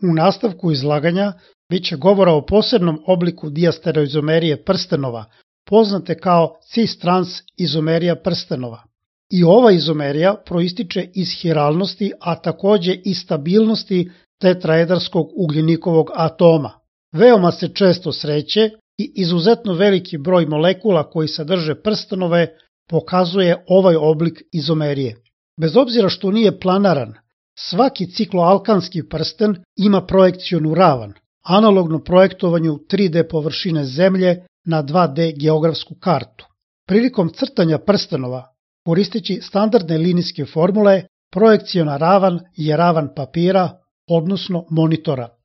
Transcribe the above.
U nastavku izlaganja biće govora o posebnom obliku diastereoizomerije prstenova, poznate kao cis-trans izomerija prstenova. I ova izomerija proističe iz hiralnosti, a takođe i stabilnosti tetraedarskog ugljenikovog atoma. Veoma se često sreće i izuzetno veliki broj molekula koji sadrže prstenove pokazuje ovaj oblik izomerije. Bez obzira što nije planaran, svaki cikloalkanski prsten ima projekcionu ravan, analogno projektovanju 3D površine Zemlje na 2D geografsku kartu. Prilikom crtanja prstenova, koristeći standardne linijske formule, projekciona ravan je ravan papira, odnosno monitora.